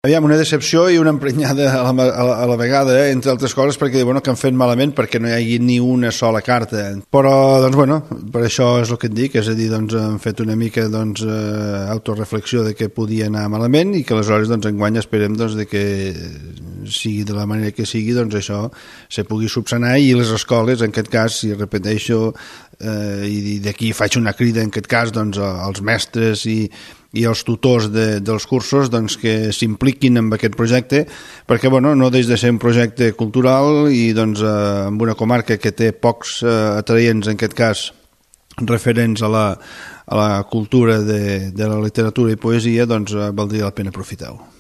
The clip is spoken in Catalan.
Aviam, una decepció i una emprenyada a la vegada, entre altres coses, perquè bueno, que han fet malament perquè no hi hagi ni una sola carta. Però, doncs, bueno, per això és el que et dic, és a dir, doncs, han fet una mica autoreflexió de que podia anar malament i que aleshores, doncs, enguany esperem doncs, de que sigui de la manera que sigui, doncs això se pugui subsanar i les escoles, en aquest cas, si repeteixo, i d'aquí faig una crida, en aquest cas, doncs, als mestres i els tutors dels cursos doncs, que s'impliquin en aquest projecte perquè bueno, no deixa de ser un projecte cultural i doncs, en una comarca que té pocs atraients, en aquest cas referents a la cultura de la literatura i poesia, doncs valdria la pena aprofitar-ho.